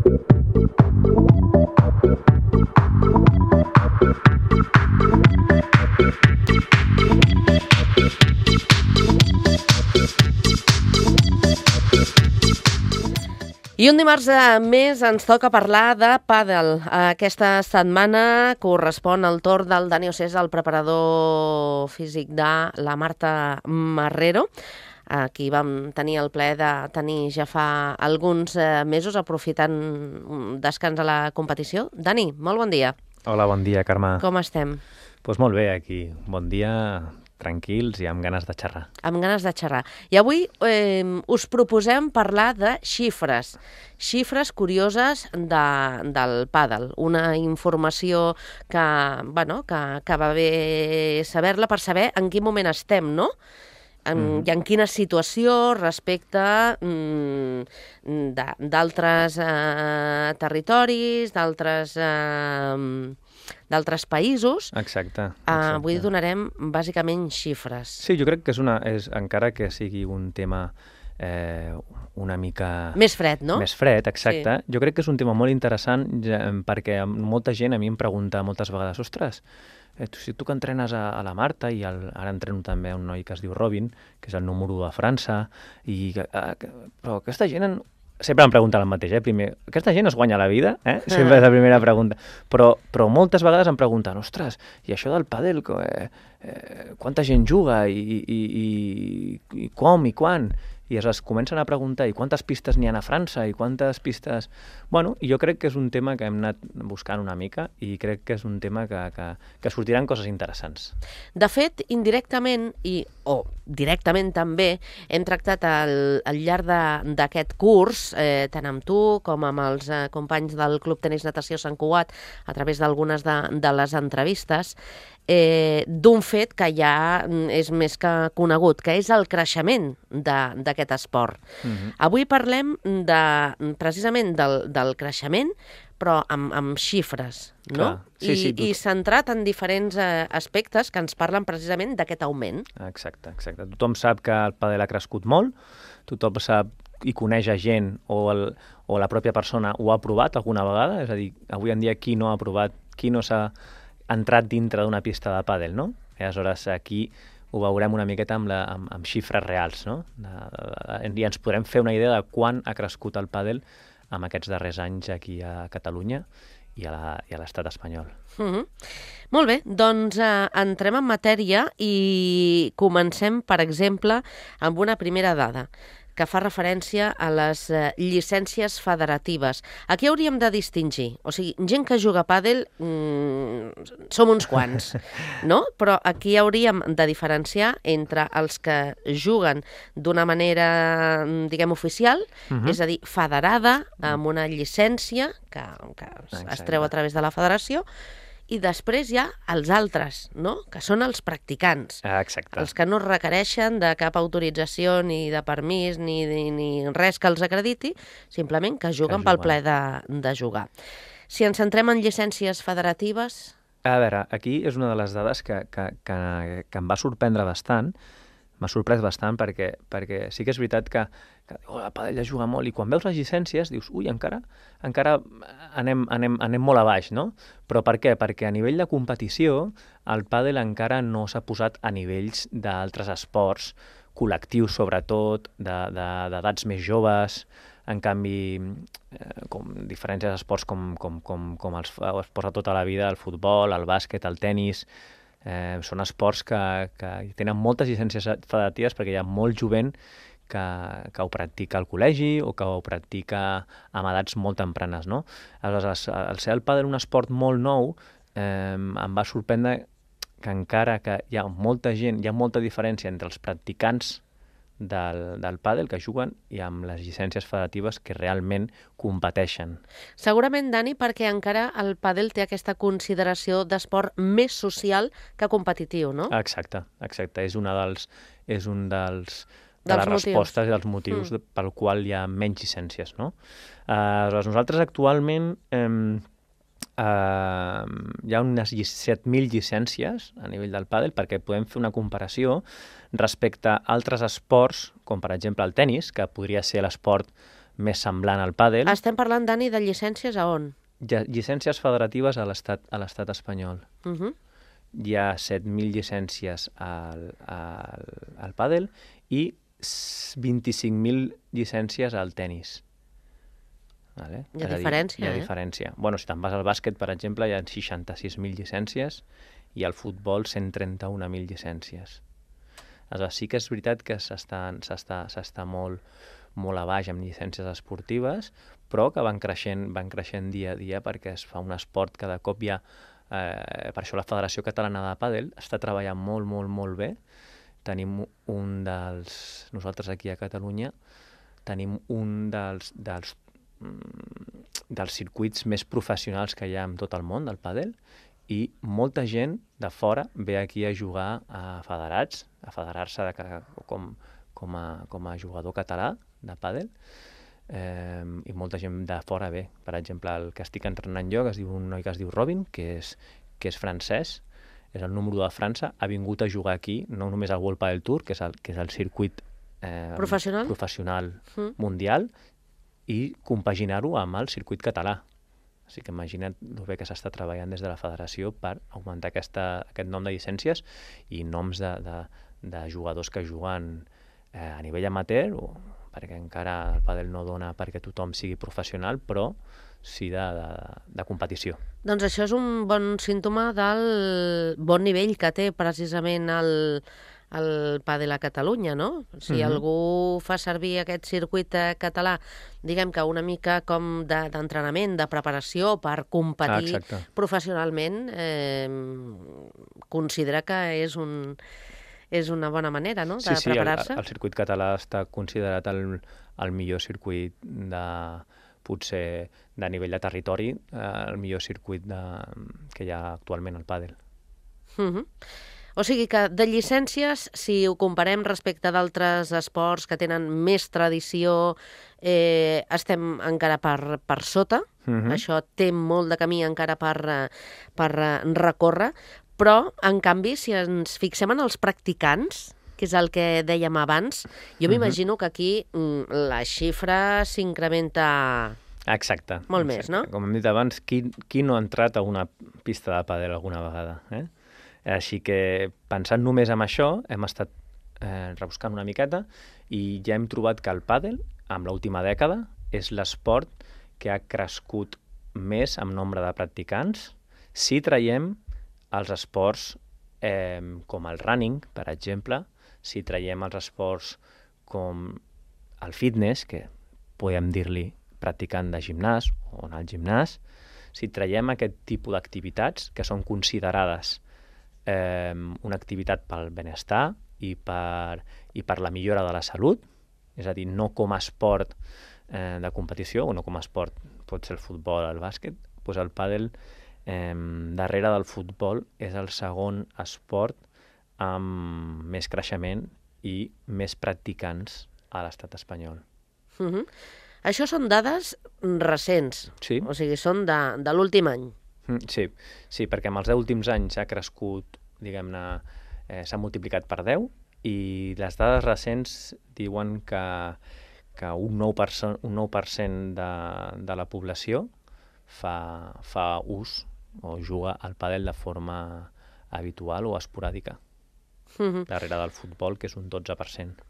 I un dimarts més ens toca parlar de pàdel. Aquesta setmana correspon al torn del Dani Ossés, el preparador físic de la Marta Marrero, qui vam tenir el plaer de tenir ja fa alguns mesos, aprofitant un descans a la competició. Dani, molt bon dia. Hola, bon dia, Carme. Com estem? Doncs molt bé, aquí. Bon dia, tranquils i amb ganes de xerrar. Amb ganes de xerrar. I avui us proposem parlar de xifres. Xifres curioses del pàdel. Una informació que va bé saber-la per saber en quin moment estem, no? I en quina situació respecte d'altres territoris, d'altres països. Exacte. Avui donarem bàsicament xifres. Sí, jo crec que és encara que sigui un tema una mica... Més fred, no? Més fred, exacte. Sí. Jo crec que és un tema molt interessant perquè molta gent a mi em pregunta moltes vegades, ostres, si tu que entrenes a la Marta, i ara entreno també un noi que es diu Robin, que és el número 1 de França, però aquesta gent... Sempre em pregunten el mateix, primer, aquesta gent es guanya la vida? Sempre és la primera pregunta. Però moltes vegades em pregunten, ostres, i això del pàdel, quanta gent juga i com i quan? I es comencen a preguntar, i quantes pistes n'hi ha a França, i quantes pistes... Bueno, jo crec que és un tema que hem anat buscant una mica i crec que és un tema que sortiran coses interessants. De fet, indirectament o directament també, hem tractat al llarg d'aquest curs, tant amb tu com amb els companys del Club Tenis Natació Sant Cugat, a través d'algunes de les entrevistes, d'un fet que ja és més que conegut, que és el creixement d'aquest esport. Avui parlem precisament del creixement, però amb xifres, no? Sí, I centrat en diferents aspectes que ens parlen precisament d'aquest augment. Exacte. Tothom sap que el pàdel ha crescut molt, tothom sap i coneix a gent o la pròpia persona ho ha provat alguna vegada, és a dir, avui en dia qui no ha provat, qui no s'ha entrat dintre d'una pista de pàdel, no? I aleshores aquí ho veurem una miqueta amb xifres reals, no? I ens podrem fer una idea de quan ha crescut el pàdel en aquests darrers anys aquí a Catalunya i a l'estat espanyol. Molt bé, doncs entrem en matèria i comencem, per exemple, amb una primera dada que fa referència a les llicències federatives. Aquí hauríem de distingir, o sigui, gent que juga a pàdel som uns quants, no? Però aquí hauríem de diferenciar entre els que juguen d'una manera, diguem, oficial, és a dir, federada, amb una llicència que es treu a través de la federació, i després hi ha els altres, no? Que són els practicants. Exacte. Els que no requereixen de cap autorització, ni de permís, ni res que els acrediti, simplement que juguen pel plaer de jugar. Si ens centrem en llicències federatives... A veure, aquí és una de les dades que em va sorprendre bastant. M'ha sorprès bastant perquè sí que és veritat que el pàdel ja juga molt i quan veus les llicències dius, ui, encara anem molt a baix, no? Però per què? Perquè a nivell de competició el pàdel encara no s'ha posat a nivells d'altres esports col·lectius, sobretot, d'edats més joves. En canvi, com diferents esports com els esports de tota la vida, el futbol, el bàsquet, el tenis... són esports que tenen moltes llicències federatives perquè hi ha molt jovent que ho practica al col·legi o que ho practica amb edats molt tempranes, no? Aleshores, al ser el pàdel un esport molt nou, em va sorprendre que encara que hi ha molta gent, hi ha molta diferència entre els practicants del pàdel que juguen i amb les llicències federatives que realment competeixen. Segurament, Dani, perquè encara el pàdel té aquesta consideració d'esport més social que competitiu, no? Exacte. És un dels les respostes i dels motius pel qual hi ha menys llicències, no? Nosaltres actualment hi ha unes 7.000 llicències a nivell del pàdel perquè podem fer una comparació respecte a altres esports, com per exemple el tenis, que podria ser l'esport més semblant al pàdel. Estem parlant, Dani, de llicències a on? Llicències federatives a l'estat espanyol. Uh-huh. Hi ha 7.000 llicències al pàdel i 25.000 llicències al tenis. Vale? Hi ha diferència, hi ha diferència. Bueno, si te'n vas al bàsquet, per exemple, hi ha 66.000 llicències i al futbol 131.000 llicències. Aleshores, sí que és veritat que s'està molt a baix amb llicències esportives, però que van creixent dia a dia perquè es fa un esport cada cop hi ha... per això la Federació Catalana de Pàdel està treballant molt bé. Tenim nosaltres aquí a Catalunya, tenim un dels circuits més professionals que hi ha en tot el món del pàdel, i molta gent de fora ve aquí a jugar a federar-se com a jugador català de pàdel, i molta gent de fora ve. Per exemple, el que estic entrenant jo, un noi que es diu Robin, que és francès, és el número 1 de França, ha vingut a jugar aquí, no només al World Padel Tour, que és el circuit professional mundial, i compaginar-ho amb el circuit català. O sigui que imagina't el bé que s'està treballant des de la federació per augmentar aquest nom de llicències i noms de jugadors que juguen a nivell amateur, perquè encara el pàdel no dona perquè tothom sigui professional, però sí de competició. Doncs això és un bon símptoma del bon nivell que té precisament el pàdel a Catalunya, no? Si algú fa servir aquest circuit català, diguem que una mica com d'entrenament, de preparació per competir professionalment, considera que és una bona manera, no?, de preparar-se. Sí, el circuit català està considerat el millor circuit potser de nivell de territori, el millor circuit que hi ha actualment al pàdel. O sigui que de llicències, si ho comparem respecte d'altres esports que tenen més tradició, estem encara per sota. Això té molt de camí encara per recórrer, però, en canvi, si ens fixem en els practicants, que és el que dèiem abans, jo m'imagino que aquí la xifra s'incrementa... Exacte. Molt més, no? Com hem dit abans, qui no ha entrat a una pista de pàdel alguna vegada? Així que, pensant només en això, hem estat rebuscant una miqueta i ja hem trobat que el pàdel, en l'última dècada, és l'esport que ha crescut més en nombre de practicants si traiem els esports com el running, per exemple, si traiem els esports com el fitness, que podem dir-li practicant de gimnàs o anar al gimnàs, si traiem aquest tipus d'activitats que són considerades una activitat pel benestar i per la millora de la salut, és a dir, no com a esport de competició, o no com a esport, pot ser el futbol o el bàsquet, doncs el pàdel, darrere del futbol, és el segon esport amb més creixement i més practicants a l'estat espanyol. Això són dades recents, o sigui, són de l'últim any. Sí, perquè en els 10 últims anys ha crescut, diguem-ne, s'ha multiplicat per 10, i les dades recents diuen que un 9% de la població fa ús o juga al pàdel de forma habitual o esporàdica, darrere del futbol, que és un 12%.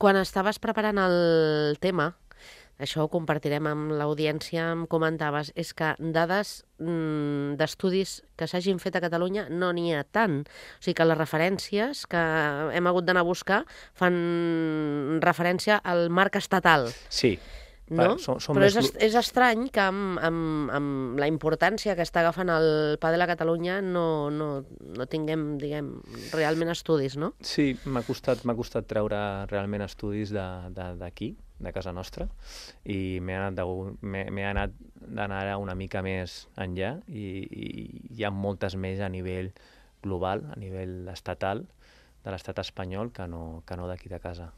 Quan estaves preparant el tema, això ho compartirem amb l'audiència, em comentaves, és que dades d'estudis que s'hagin fet a Catalunya no n'hi ha tant. O sigui que les referències que hem hagut d'anar a buscar fan referència al marc estatal. Sí. No? Però és estrany que amb la importància que està agafant el pàdel a Catalunya no tinguem, diguem, realment estudis, no? Sí, m'ha costat treure realment estudis d'aquí, de casa nostra, i m'he anat d'anar una mica més enllà, i hi ha moltes més a nivell global, a nivell estatal, de l'estat espanyol, que no d'aquí de casa.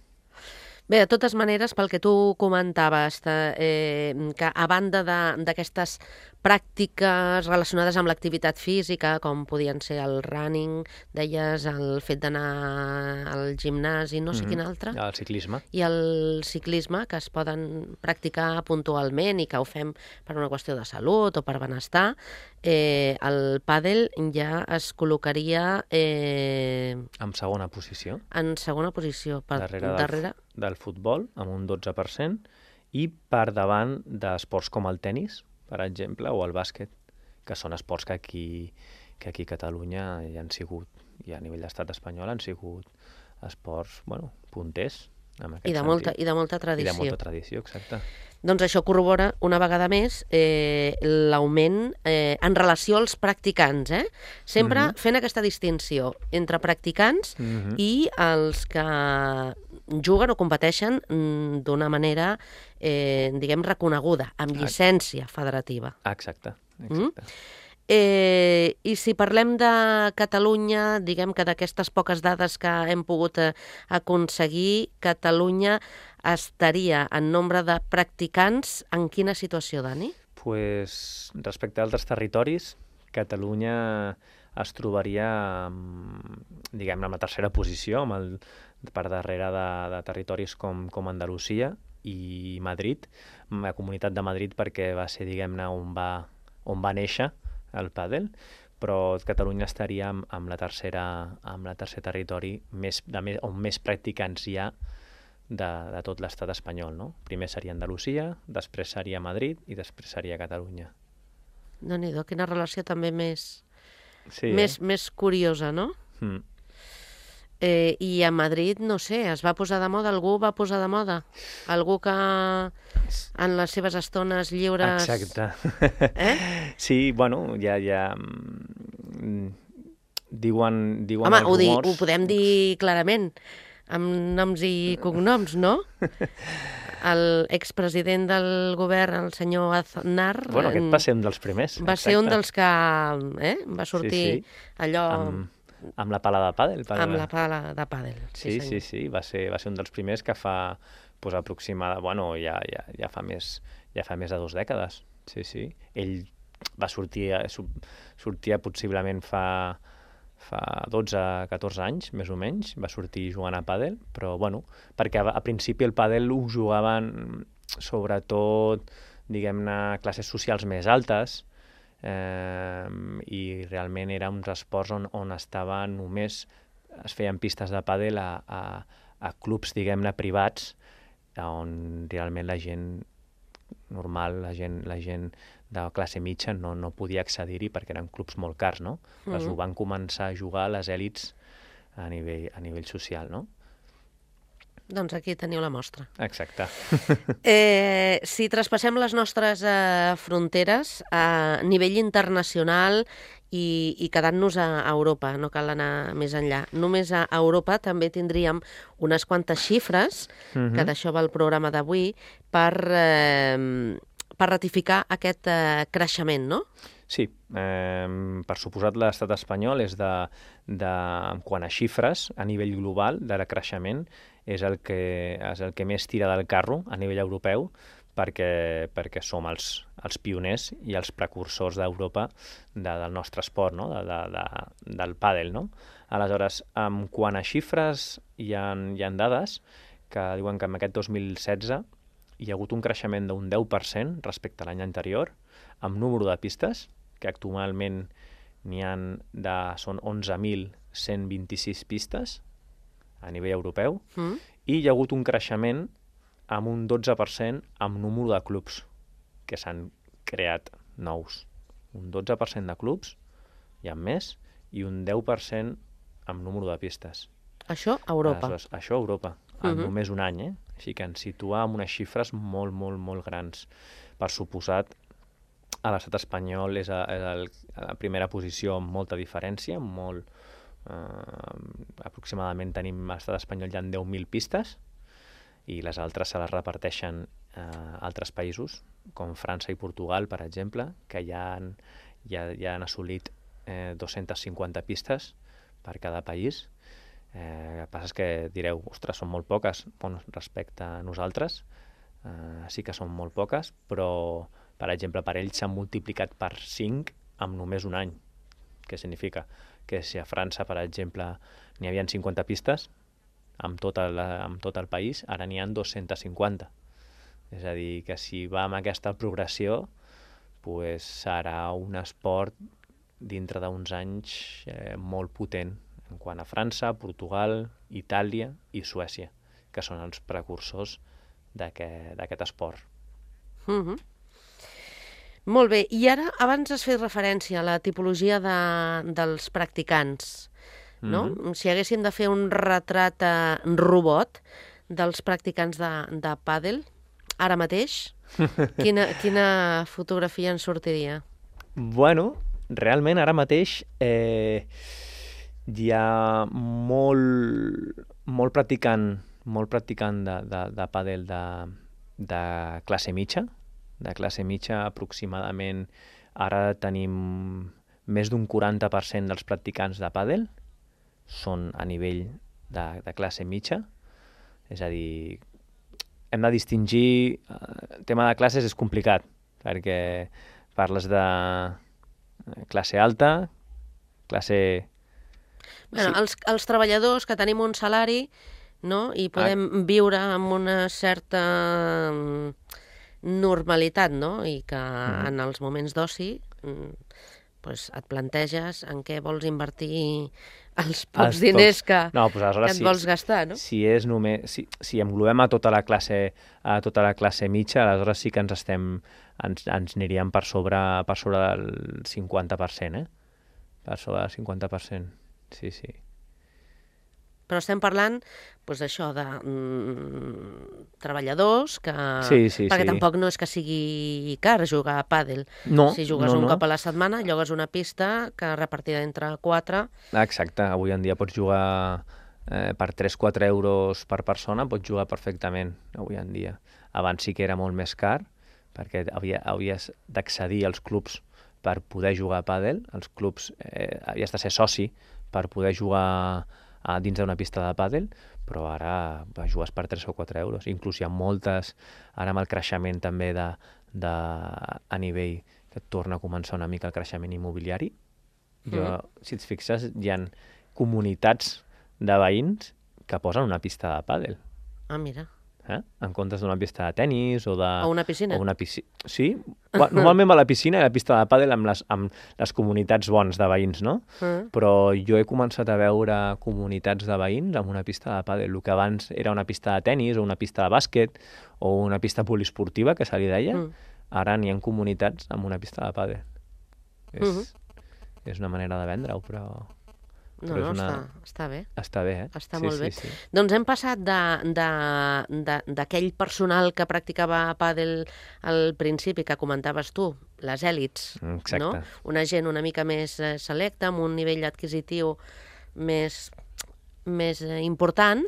Bé, de totes maneres, pel que tu comentaves, que a banda d'aquestes pràctiques relacionades amb l'activitat física, com podien ser el running, deies, el fet d'anar al gimnasi, no sé quin altre. El ciclisme. I el ciclisme, que es poden practicar puntualment i que ho fem per una qüestió de salut o per benestar. El pàdel ja es col·locaria En segona posició. en segona posició, Darrere del futbol, amb un 12%, i per davant d'esports com el tennis, per exemple, o el bàsquet, que són esports que aquí a Catalunya hi han sigut, i a nivell d'estat espanyol han sigut esports, punters, en aquest sentit. I de molta tradició. I de molta tradició, exacte. Doncs això corrobora una vegada més l'augment en relació als practicants, sempre fent aquesta distinció entre practicants i els que juguen o competeixen d'una manera, diguem, reconeguda, amb llicència federativa. Exacte. I si parlem de Catalunya, diguem que d'aquestes poques dades que hem pogut aconseguir, Catalunya estaria en nombre de practicants en quina situació, Dani? Pues, respecte a altres territoris, Catalunya es trobaria, diguem, en la tercera posició, per darrere de territoris com Andalusia i Madrid, la Comunitat de Madrid, perquè va ser, diguem-ne, on va néixer el pàdel, però Catalunya estaria amb el tercer territori on més practicants hi ha de tot l'estat espanyol, no? Primer seria Andalusia, després seria Madrid i després seria Catalunya. Déu-n'hi-do, quina relació també més curiosa, no? I a Madrid, no sé, es va posar de moda, algú va posar de moda? Algú que en les seves estones lliures... Exacte. Sí, ja diuen home, els rumors... ho podem dir clarament, amb noms i cognoms, no? L'expresident del govern, el senyor Aznar... Aquest va ser un dels primers. Va ser un dels que va sortir allò... Amb la pala de pàdel. Amb la pala de pàdel, sí. Va ser un dels primers que fa aproximadament... ja fa més de 2 dècades. Sí. Ell va sortia possiblement fa 12-14 anys, més o menys, va sortir jugant a pàdel, però perquè a principi el pàdel ho jugaven sobretot, diguem-ne, classes socials més altes, i realment eren uns esports on estava només, es feien pistes de pàdel a clubs, diguem-ne, privats, on realment la gent normal, la gent de classe mitja no podia accedir-hi perquè eren clubs molt cars, no? Ho van començar a jugar les èlits a nivell social, no? Doncs aquí teniu la mostra. Exacte. Si traspassem les nostres fronteres a nivell internacional i quedant-nos a Europa, no cal anar més enllà. Només a Europa també tindríem unes quantes xifres, que d'això va el programa d'avui, per ratificar aquest creixement, no? Sí, per suposat l'estat espanyol és quant a xifres, a nivell global, de creixement, és el que més tira del carro a nivell europeu, perquè som els pioners i els precursors d'Europa del nostre esport, no? Del pàdel, no? Aleshores, quant a xifres, hi ha dades que diuen que en aquest 2016 hi ha hagut un creixement d'un 10% respecte a l'any anterior, amb número de pistes, que actualment són 11.126 pistes a nivell europeu, i hi ha hagut un creixement amb un 12% amb número de clubs que s'han creat nous. Un 12% de clubs, hi ha més, i un 10% amb número de pistes. Això a Europa. Això a Europa, en només un any, Així que ens situa amb unes xifres molt, molt, molt grans. Per suposat, a l'estat espanyol és a la primera posició amb molta diferència, aproximadament tenim a l'estat espanyol ja en 10.000 pistes, i les altres se les reparteixen a altres països, com França i Portugal, per exemple, que ja han assolit 250 pistes per cada país. El que passa és que direu, ostres, són molt poques. Respecte a nosaltres, sí que són molt poques, però Per exemple, per ells s'han multiplicat per 5 en només un any. Què significa? Que si a França, per exemple, n'hi havia 50 pistes amb tot el país, ara n'hi ha 250. És a dir, que si va amb aquesta progressió, pues serà un esport dintre d'uns anys molt potent en quant a França, Portugal, Itàlia i Suècia, que són els precursors d'aquest esport. Molt bé, i ara abans has fet referència a la tipologia dels practicants, no? Si haguéssim de fer un retrat robot dels practicants de pàdel, ara mateix, quina fotografia ens sortiria? Bueno, realment ara mateix hi ha molt practicant de pàdel de classe mitja, aproximadament ara tenim més d'un 40% dels practicants de pàdel són a nivell de classe mitja, és a dir, hem de distingir, el tema de classes és complicat, perquè parles de classe alta, classe... Bueno, sí. Els treballadors que tenim un salari, no? I podem viure amb una certa normalitat, no? I que en els moments d'oci pues et planteges en què vols invertir els pocs diners que et vols gastar, no? Si englobem a tota la classe mitja, aleshores sí que ens aniríem per sobre del 50%, Per sobre del 50%, sí. Però estem parlant, doncs, això, de treballadors que... Perquè tampoc no és que sigui car jugar a pàdel. No, si jugues un cop a la setmana, llogues una pista que repartida entre 4... Exacte, avui en dia pots jugar per 3-4 euros per persona, pots jugar perfectament, avui en dia. Abans sí que era molt més car, perquè havies d'accedir als clubs per poder jugar a pàdel. Els clubs havies de ser soci per poder jugar dins d'una pista de pàdel, però ara jugues per 3 o 4 euros. Inclús hi ha moltes, ara amb el creixement també a nivell que torna a començar una mica el creixement immobiliari. Si et fixes, hi ha comunitats de veïns que posen una pista de pàdel. Ah, mira. En comptes d'una pista de tennis o una piscina. Sí, normalment va a la piscina i a la pista de pàdel amb les comunitats bons de veïns, no? Però jo he començat a veure comunitats de veïns amb una pista de pàdel. El que abans era una pista de tennis o una pista de bàsquet o una pista poliesportiva, que se li deia, ara n'hi ha comunitats amb una pista de pàdel. És una manera de vendre-ho, però... No, està bé. Està bé, Està molt bé. Doncs hem passat d'aquell personal que practicava pàdel al principi, que comentaves tu, les èlits, no? Una gent una mica més selecta, amb un nivell adquisitiu més important,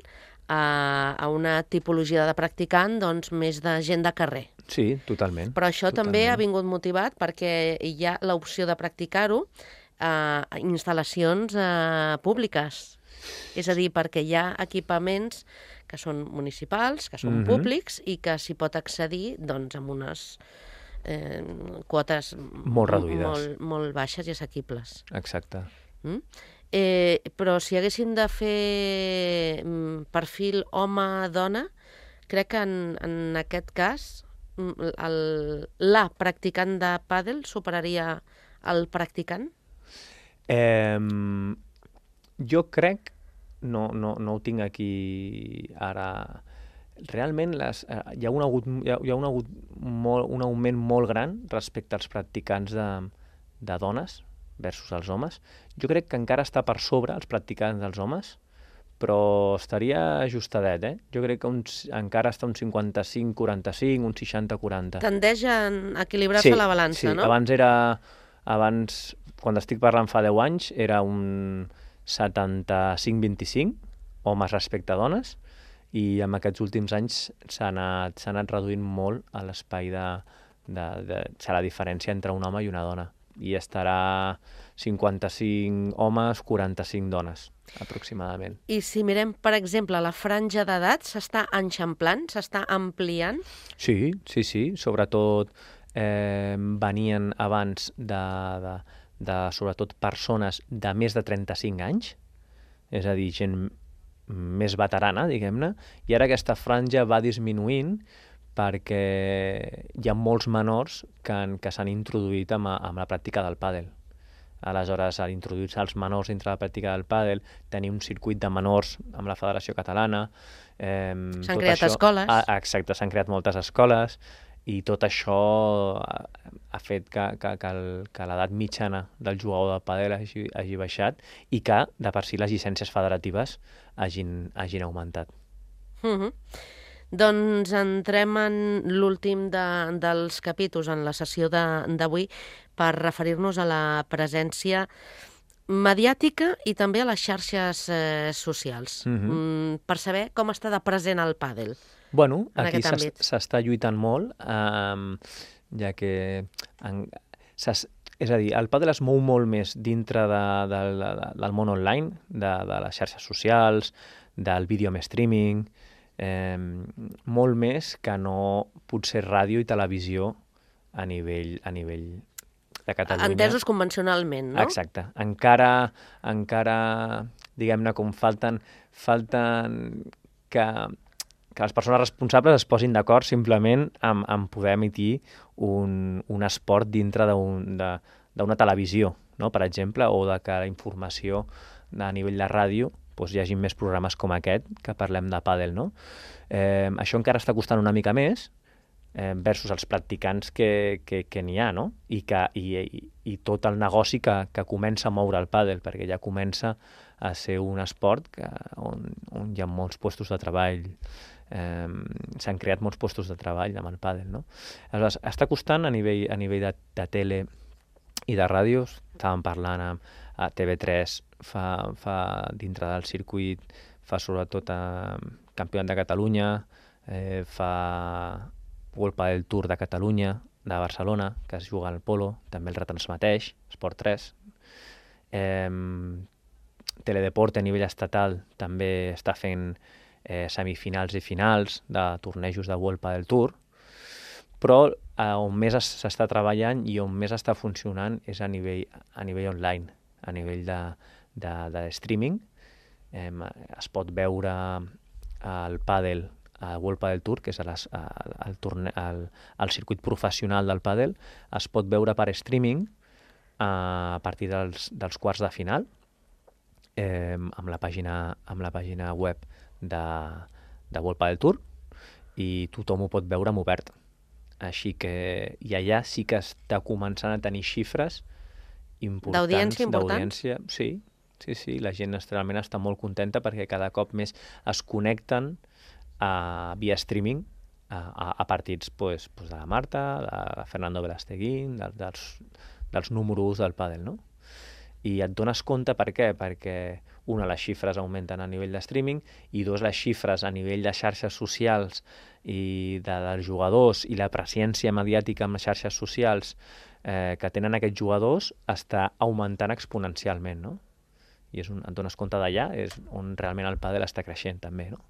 a una tipologia de practicant doncs, més de gent de carrer. Sí, totalment. Però això també ha vingut motivat perquè hi ha l'opció de practicar-ho a instal·lacions públiques. És a dir, perquè hi ha equipaments que són municipals, que són públics i que s'hi pot accedir doncs, amb unes quotes molt reduïdes, molt baixes i assequibles. Exacte. Però si haguéssim de fer perfil home-dona, crec que en aquest cas la practicant de pàdel superaria el practicant? Jo crec, no ho tinc aquí ara, realment hi ha un augment molt gran respecte als practicants de dones versus els homes. Jo crec que encara està per sobre els practicants dels homes, però estaria ajustadet, Jo crec que encara està un 55-45, un 60-40. Tendeix a equilibrar-se la balança, no? Abans, quan estic parlant fa 10 anys, era un 75-25 homes respecte a dones, i en aquests últims anys s'ha anat reduint molt a l'espai de la diferència entre un home i una dona. i estarà 55 homes, 45 dones, aproximadament. I si mirem, per exemple, la franja d'edat, s'està enxamplant, s'està ampliant? Sí, sobretot venien abans de sobretot persones de més de 35 anys, és a dir, gent més veterana, diguem-ne, i ara aquesta franja va disminuint perquè hi ha molts menors que s'han introduït amb la pràctica del pàdel. Aleshores, a introduir-se els menors dintre la pràctica del pàdel, tenir un circuit de menors amb la Federació Catalana... S'han creat escoles. Exacte, s'han creat moltes escoles i tot això ha fet que l'edat mitjana del jugador de pàdel hagi baixat i que, de per si, les llicències federatives hagin augmentat. Doncs entrem en l'últim dels capítols en la sessió d'avui per referir-nos a la presència mediàtica i també a les xarxes socials, per saber com està de present el pàdel. Bueno, aquí s'està lluitant molt, ja que... És a dir, el pàdel es mou molt més dintre del món online, de les xarxes socials, del vídeo amb streaming, molt més que no potser ràdio i televisió a nivell de Catalunya. Entesos convencionalment, no? Exacte. Encara diguem-ne, com falten que les persones responsables es posin d'acord simplement en poder emitir un esport dintre d'una televisió, no? Per exemple, o de que la informació a nivell de ràdio hi hagi més programes com aquest que parlem de pàdel, no? Això encara està costant una mica més versus els practicants que n'hi ha, no? I tot el negoci que comença a moure el pàdel, perquè ja comença a ser un esport on hi ha molts llocs de treball, s'han creat molts llocs de treball amb el pàdel, no? Aleshores, està costant a nivell de tele i de ràdios. Estàvem parlant a TV3, fa dintre del circuit, fa sobretot Campionat de Catalunya, fa World Padel Tour de Catalunya, de Barcelona, que es juga al polo, també el retransmeteix, Esport 3. Teledeport a nivell estatal també està fent semifinals i finals de tornejos de World Padel Tour, però on més s'està treballant i on més està funcionant és a nivell online, a nivell de streaming. Es pot veure el pàdel a World Padel Tour, que és el circuit professional del pàdel, es pot veure per streaming a partir dels quarts de final, amb la pàgina web de World Padel Tour, i tothom ho pot veure en obert. Així que i allà sí que està començant a tenir xifres importants. D'audiència? Sí, la gent realment està molt contenta perquè cada cop més es connecten via streaming a partits de la Marta, de Fernando Velasteguín, dels número 1 del pàdel, no? I et dones compte per què? Perquè, una, les xifres augmenten a nivell de streaming, i dos, les xifres a nivell de xarxes socials i dels jugadors i la presència mediàtica en les xarxes socials que tenen aquests jugadors està augmentant exponencialment, no? I et dones compte d'allà, és on realment el pàdel està creixent també, no?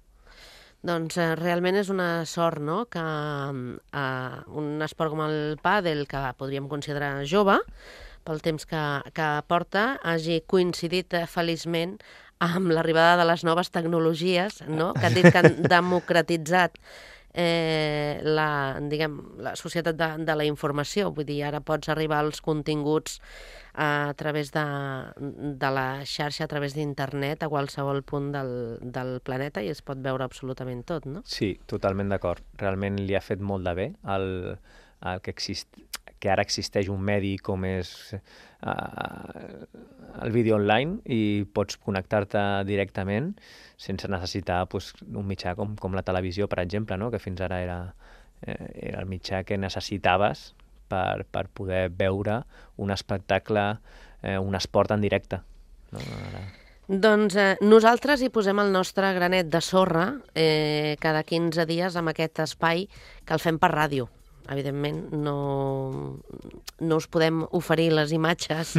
Doncs realment és una sort, no?, que un esport com el pàdel, que podríem considerar jove, pel temps que porta, hagi coincidit feliçment amb l'arribada de les noves tecnologies, no?, que han dit que han democratitzat la societat de la informació. Vull dir, ara pots arribar als continguts a través de la xarxa, a través d'internet, a qualsevol punt del planeta, i es pot veure absolutament tot, no? Sí, totalment d'acord. Realment li ha fet molt de bé el que ara existeix un medi com és el vídeo online i pots connectar-te directament sense necessitar un mitjà com la televisió, per exemple, no? Que fins ara era el mitjà que necessitaves per poder veure un espectacle, un esport en directe. No? Doncs nosaltres hi posem el nostre granet de sorra cada 15 dies amb aquest espai que el fem per ràdio. evidentment no us podem oferir les imatges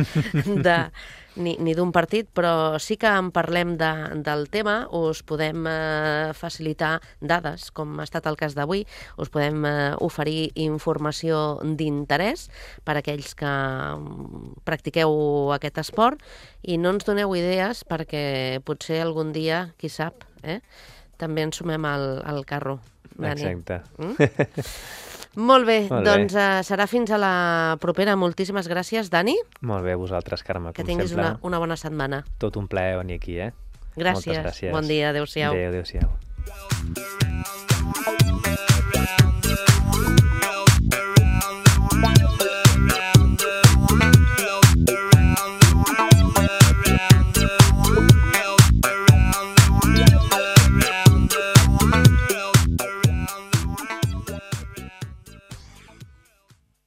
ni d'un partit, però sí que en parlem del tema, us podem facilitar dades, com ha estat el cas d'avui, us podem oferir informació d'interès per a aquells que practiqueu aquest esport i no ens doneu idees perquè potser algun dia, qui sap, també ens sumem al carro, Dani. Exacte. Molt bé, doncs serà fins a la propera. Moltíssimes gràcies, Dani. Molt bé, vosaltres, Carme, com sempre. Que tinguis una bona setmana. Tot un plaer venir aquí, Gràcies. Moltes gràcies. Bon dia, adéu-siau. Adéu-siau.